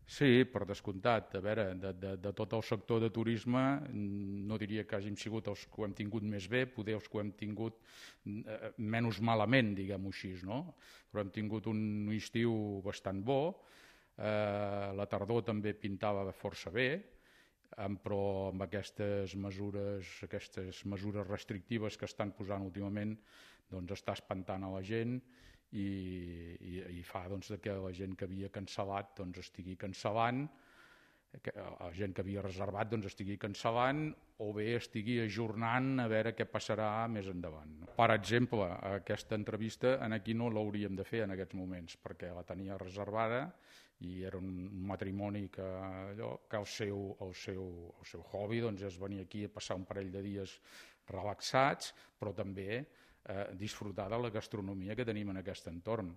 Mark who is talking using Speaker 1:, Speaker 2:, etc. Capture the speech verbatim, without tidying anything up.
Speaker 1: Sí, per descomptat. A veure, de, de, de tot el sector de turisme no diria que hàgim sigut els que ho hem tingut més bé, poder els que ho hem tingut eh, menys malament, diguem-ho així, no? Però hem tingut un estiu bastant bo, eh, la tardor també pintava força bé, però amb aquestes mesures, aquestes mesures restrictives que estan posant últimament, doncs està espantant a la gent i, i, i fa doncs, que la gent que havia cancel·lat doncs, estigui cancel·lant, que la gent que havia reservat doncs, estigui cancel·lant o bé estigui ajornant a veure què passarà més endavant. Per exemple, aquesta entrevista en aquí no l'hauríem de fer en aquests moments perquè la tenia reservada i era un matrimoni que, allò, que el, seu, el, seu, el seu hobby doncs, és venir aquí a passar un parell de dies relaxats, però també eh, disfrutar de la gastronomia que tenim en aquest entorn.